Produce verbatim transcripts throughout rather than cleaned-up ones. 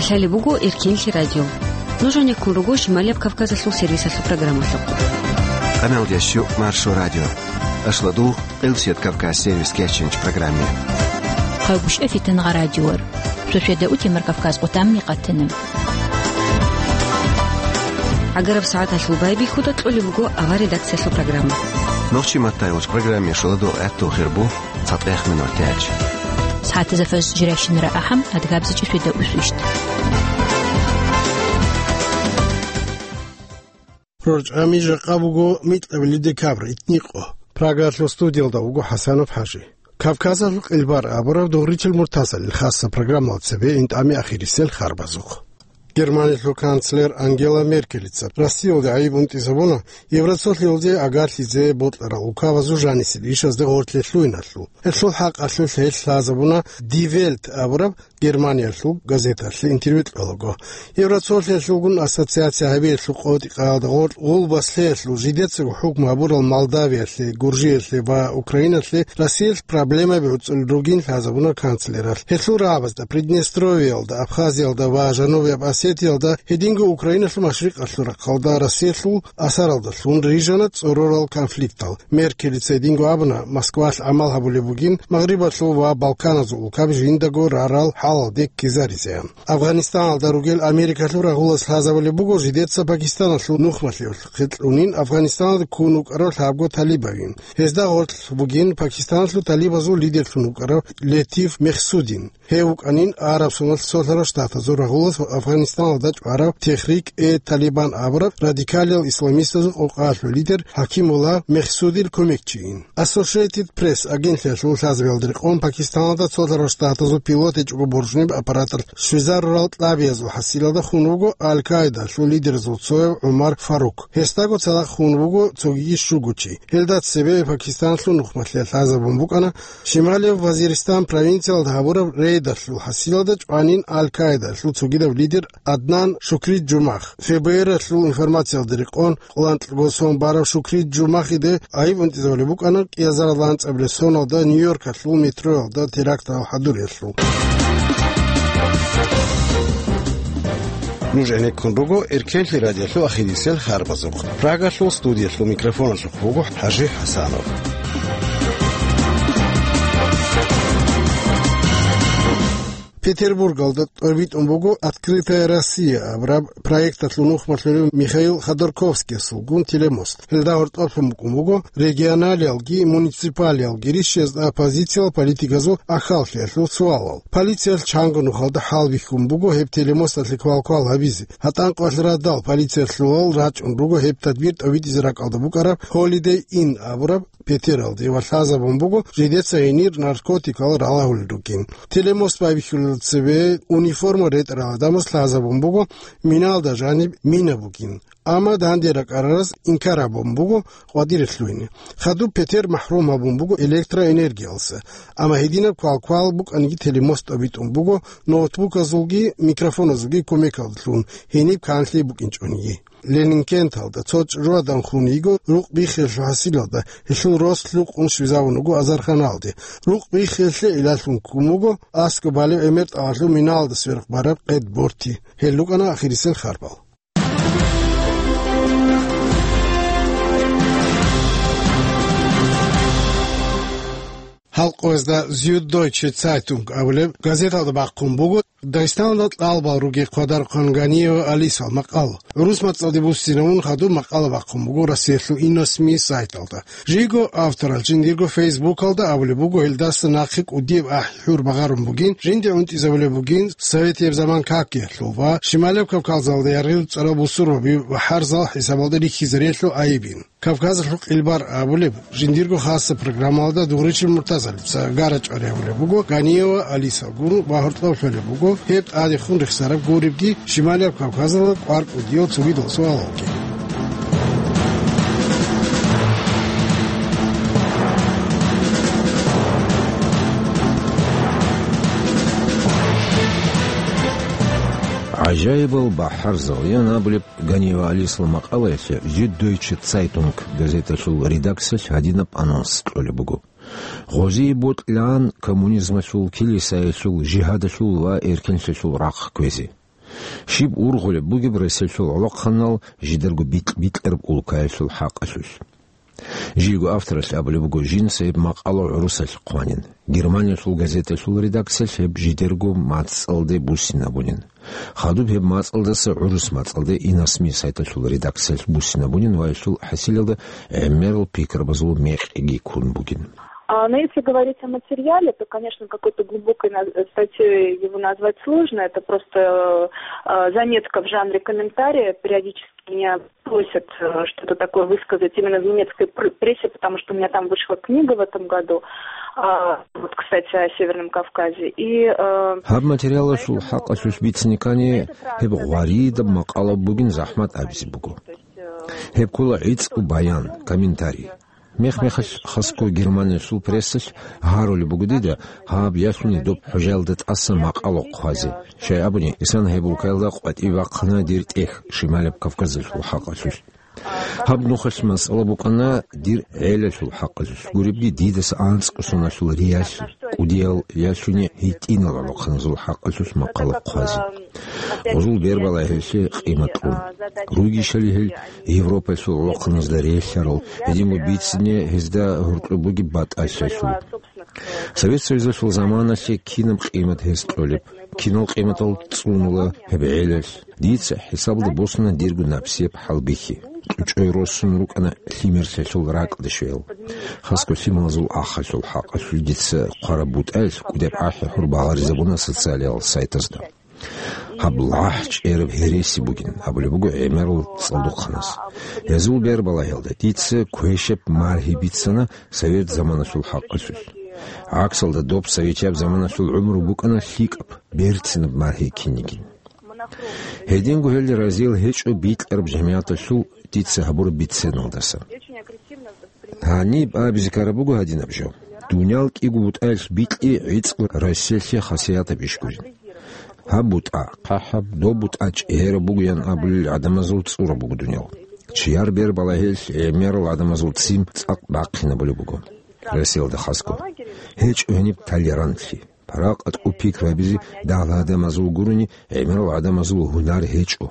Лъалеб буго Эркенлъи радио. Нуж гьанеккун руго Шималияб Кавказалъул сервисалъул программалъухъ. Къаналдеш Маршо радио. Ашладу, Къилсият Кавказ сервис кеченч программе. Хъагушев Фитнагъа радиор. Шошеда утемар Кавказ къутамни къатана. Агараб сагӀаталъул байбихьуда кьолеб буго ава редакциялъул программа. Нохчи маттайгъуч программе шуладу гӀатту хирбу. ЦатӀех минутач. СагӀатазда фаж жирайщинара ахӀам, адгабзичӀи шведа усвищ. РорчӀами жакъа буго микьабили декабрь, итникъо. Прагалъул студиялда вуго ХӀасанов ХӀажи. Кавказалъул къилбар абураб дугъричил муртазалил хасса программала цебе интӀами ахирисел харбазухъ. Германиялъул канцлер Ангела Меркелица Россиялде гӀайиб унтӀизабуна Евросоюзалде агарлъизе бокьарал улкабазул жанисел ишазде гъорлъе лъугьиналъул. Гьелъул хӀакъалъулъ гьелъ лъазабуна Die Welt абураб Германиялъул газеталъе интервью кьолаго. Евросоюзалъулгун ассоциация гьабиялъул къотӀи-къаялда гъоркь гъулбас лъеялъул жидецаго хӀукму гьабурал Молдавиялъе, Гуржиялъе ва Украиналъе Россиялъ проблемаби гӀуцӀулел ругин лъазабуна канцлералъ. Гьелъул рагӀабазда Приднестровьеялда, Абхазиялда ва Жанубияб Осетиялда, гьединго Украиналъул машрикъалъул рахъалда Россиялъул асаралдалъун рижана цӀорорал конфликтал. Меркелица гьединго абуна, Москвалъ гӀамал гьабулеб бугин Магърибалъул ва Балканазул улкаби жиндаго рарал хӀалалде ккезаризеян. Афганистаналда ругел Америкалъул рагъулас лъазабулеб буго жидеца Пакистаналъул нухмалъиялъухъе кьунин Афганистаналда ккун вукӀарав лъабго талибавин. Гьезда гъорлъ бугин Пакистаналъул талибазул лидерлъун вукӀарав Летиф Мехсудин. Гьев вукӀанин Араб Соналъ Цолъарал Штатазул рагъулас ва Афганистаналда чӀварав Техрик-э-Талибан абураб радикалиял исламистазул къокъаялъул лидер ХӀакимулла Мехсудил кумекчийин. Associated Press агентлъиялъул лъазабиялда рекъон Пакистаналда Цолъарал Штатазул пилот гьечӀого боржниб аппараталъ щвезарурал кьабиязул хӀасилалда хун вуго Аль-Каидалъул лидерзул цояв ГӀумар Фарук. Гьесдаго цадахъ хун вуго цогиги щуго чи. Гьелда цебе Пакистаналъул нухмалъиялъ лъазабун букӀана Шималияб Вазиристан провинциялда гьабураб рейдалъул хӀасилалда чӀванин Аль-Каидалъул цогидаб лидер Аднан Шукри Джумах. ФБР-алъул информациялда рекъон, къоланкьго сон барав Шукри Джумахиде гӀайиб унтӀизабулеб букӀана кӀиазарал анцӀабилеб соналда Нью-Йоркалъул метроялда терактал хӀадуриялъул. Нуж гӀенеккун руго Эркенлъи радиолъул ахирисел харбазухъ. Прагалъул студиялъул микрофоналъухъ вуго ХӀажи ХӀасанов. Петербургалда тӀобитӀун буго «Открытая Россия» абураб проекталъул нухмалъулев Михаил Ходорковскиясулгун телемост. Гьелда гьоркьоблъун букӀун буго регионалиялги муниципалиялги рищиязда оппозициял политиказул ахӀаллъиялъул суалал. Полициялъ чанго нухалда хӀалбихьун буго гьеб телемосталъе квалквал гьабизе. ГьатӀанкъоялъ радал полициялъулал рачӀун руго гьеб тадбир тӀобитӀизе ракӀалда букӀараб Holiday Inn абураб петералде ва лъазабун буго жидеца гьенир наркотикал ралагьулел ругин. Телемост байбихьулел цебе униформа ретӀарал гӀадамаз лъазабун буго миналда жаниб мина бугин. Амма данде ракӀарараз инкар гьабун буго къватӀире лъугьине. Хадуб петер махӀрум гьабун буго электроэнергиялса. Амма гьединаб квалквал букӀаниги телемост тӀобитӀун буго ноутбуказулги микрофоназулги кумекалдалъун гьениб канлъи букӀинчӀониги. Ленинкенталда цо чӀужугӀадан хун йиго рукъ биххиялъул хӀасилалда гьелъул рос лъукъун щвезавун вуго азарханалде. Рукъ биххиялъе гӀиллалъун ккун вуго аскӀоб балеб гӀемер тӀагӀалъул миналда сверухъ бараб къед борти. Гьел рукӀана ахирисел харбал. Гьалкъоязда Зюддойче Цайтунг абулеб газеталда бахъун буго, Дагъистаналда кьалбал ругел хъвадарухъан Ганиева Алисал макъал. ГӀурус мацӀалде буссинавун хадуб макъала бахъун буго Россиялъул Иносми сайталда. Жиго авторал жиндирго фейсбукалда абулеб буго, гьелдаса нахъе кӀудияб ахӀи-хӀур багъарун бугин, жинде унтӀизабулеб бугин советияб заман какиялъул ва Шималияб Кавказалда яргъил цӀарал бусурбаби ва хӀарзал хӀисабалда рихьизариялъул гӀайибин. Кавказалъул къилбар абулеб жиндирго хасса программалда дугъричил муртазалица гара чӀвариявулеб буго Ганиева Алисалгун ва гьоркьоб лъолеб буго гьеб тӀадехун рехсараб гуребги Шималияб Кавказалда кӀвар кӀудиял цогидал суалалги. ГӀажаибал бахӀарзал ян абулеб Ганиева Алисал макъалаялъе Зюддойче Цайтунг газеталъул редакциялъ гьадинаб анонс кьолеб буго: «Гъозие бокьилаан коммунизмалъул, килисаялъул, жигьадалъул ва эркенлъиялъул рахъ кквезе». Щиб ургъулеб бугеб Россиялъул гӀолохъанал жидерго бикь-бикьараб улкаялъул хӀакъалъулъ? Жийго авторалъ абулеб буго, жинца гьеб макъала гӀурусалъ хъванин. Германиялъул газеталъул редакциялъ гьеб жидерго мацӀалде буссинабунин. Хадуб гьеб мацӀалдаса гӀурус мацӀалде Инасми сайталъул редакциялъ буссинабунин ва гьелъул хӀасилалда гӀемерал пикрабазул мекъиги ккун бугин. А, но если говорить о материале, то, конечно, какой-то глубокой на-, статьей его назвать сложно. Это просто, э, заметка в жанре комментария. Периодически меня просят, э, что-то такое высказать именно в немецкой пр-, прессе, потому что у меня там вышла книга в этом году, а, вот, кстати, о Северном Кавказе. И, э, Гьаб материалалъул хӀакъалъулъ бицине ккани, гьеб гъваридаб макъала бугин захӀмат абизе буго. Гьеб ккола гӀицӀго баян, комментарий. Мех-мехалъ хасго Германиялъул прессалъ гьарулеб буго дида гьаб ялъуни доб хӀужаялда тӀаса макъала хъвазе, щай абуни, исан гьеб улкаялда къватӀибе бахъана дир тӀехь Шималаб Кавказалъул хӀакъалъулъ. Гьаб нухалъ масъала букӀана дир гӀелалъул хӀакъалъулъ, гуребги дидаса анцӀго соналъул риялъ, кӀудиял ялъуни гьитӀинал гӀолохъаназул хӀакъалъулъ макъала хъвазе. Гъузул бер балагьеялъе къимат кьун. Ругищали гьел Европаялъул гӀолохъаназда релълъарал, гьединго бицине гьезда гьоркьоб бугеб батӀалъиялъул. Совет Союзалъул заманалъе кинаб къимат гьез кьолеб, кинал къиматал цӀунула гьеб гӀелалъ. Дица хӀисабалда босуна дирго напсияб хӀалбихьи. КьучӀой росун рукӀана лъимерлъиялъул ракӀалде щвеял. Хасго лъималазул ахалъул хӀакъалъулъ дица хъвараб бутӀаялъ кӀудеб ахӀи гьур багъаризабуна социалиял сайтазда. Гьаб лахӀ чӀераб гьереси бугин абулеб буго гӀемерал цӀалдохъанас. Гьезул бер балагьиялда дица квешаб маргьи бицана совет заманалъул хӀакъалъулъ. ГӀаксалда доб советияб заманалъул гӀумру букӀана лъикӀаб, берцинаб маргьи кинигин. Гьединго гьел разиял гьечӀо бикьараб жамигӀаталъул дица гьабураб биценалдаса. Гьаниб абизе ккараб буго гьадинаб жо. Дуниял кӀиго бутӀаялъ бикьи гӀицӀго Россиялъе хасиятаб иш гурин. Гьаб бутӀа хъахӀаб, доб бутӀа чӀегьераб бугоян абулел гӀадамазул цӀураб буго дуниял. Чияр бер балагьеялъ гӀемерал гӀадамазул ццин цӀакъ бахъинабулеб буго. Россиялда хасго. ГьечӀо гьениб толерантлъи. Паракъат пикру гьабизе дагьал гӀадамазул гурони, гӀемерал гӀадамазул гьунар гьечӀо.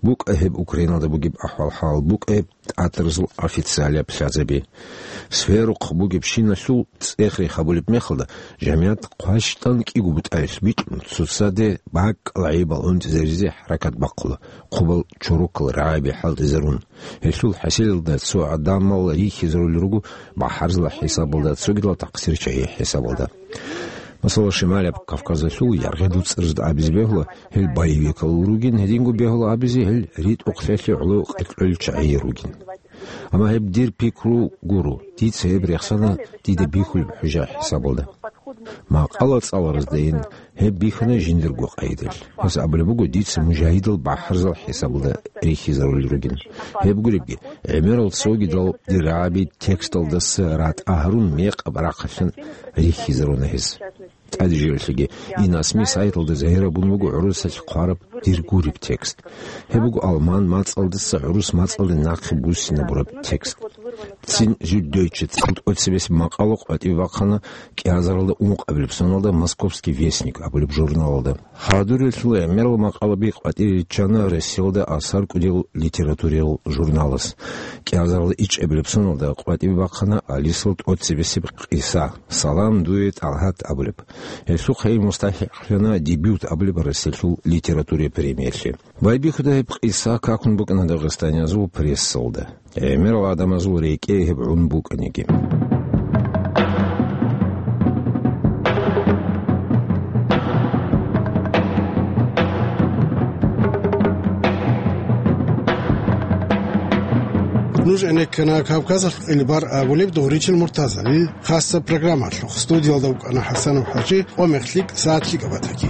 БукӀа гьеб Украиналда бугеб ахӀвал-хӀал, букӀа гьеб тӀатаразул официалияб лъазаби. Сверухъ бугебщиналъул цӀех-рех гьабулеб мехалда, жамигӀат хъващтӀан кӀиго бутӀаялъ бикьун, цоцаде бакӀал гӀайибал унтӀизаризе хӀаракат бахъула, хъубал чорокал рагӀаби хӀалтӀизарун. Гьелъул хӀасилалда цо гӀадамал рихьизарулел руго бахӀарзала хӀисабалда, цогидал такъсирчагьи хӀисабалда. Масала, Шималаб Кавказалъул яргъи дуцӀарзда абизе бегьула, гьел боевикал ругин, гьединго бегьула абизе, гьел ритӀухълъиялъе гӀоло къеркьел чагӀи ругин. Амма гьеб дир пикру гуро, дица гьеб рехсана дида бихьулеб хӀужа хӀисабалда. Макъала цӀалараздайин гьеб бихьана жиндирго къайдалъ. Гьес абулеб буго, дица мужагьидал бахӀарзал хӀисабалда рихьизарулел ругин. Гьеб гуребги, гӀемерал цогидал дир рагӀаби тексталдаса ратӀа гьарун мекъаб рахъалъан рихьизаруна гьез. ТӀаде жо-, релълъиги, Инасми сайталда загьирабун буго гӀурусалъ хъвараб дир гуреб текст. Гьеб буго алман мацӀалдаса гӀурус мацӀалде нахъе буссинабураб текст. Цин Зюддойче цӀакъ тӀоцебесеб макъала къватӀибе бахъана кӀиазаралда ункъабилеб соналда Московский вестник абулеб журналалда. Хадурелъул гӀемерал макъалаби къватӀире риччана Россиялда асар кӀудиял литературиял журналас. КӀиазаралда ичӀабилеб соналда къватӀибе бахъана Алисал тӀоцебесеб къиса, «Салам дуе, ТӀалгьат» абулеб. Гьелъухъе мустахӀикълъана «Дебют» абулеб Россиялъул литературияй премиялъе. Байбихьуда гьеб къиса какун букӀана дагъистаниязул прессалда. ГӀемерал гӀадамазул рекӀее гьеб гӀун букӀаниги. Нуж гӀенеккана Кавказалъ къилбар абулеб Дугъричил Муртазалил хасаб программалъухъ. Студиялда вукӀана ХӀасанов ХӀажи, къо-мех лъикӀ, сагӀат лъикӀаб батаги.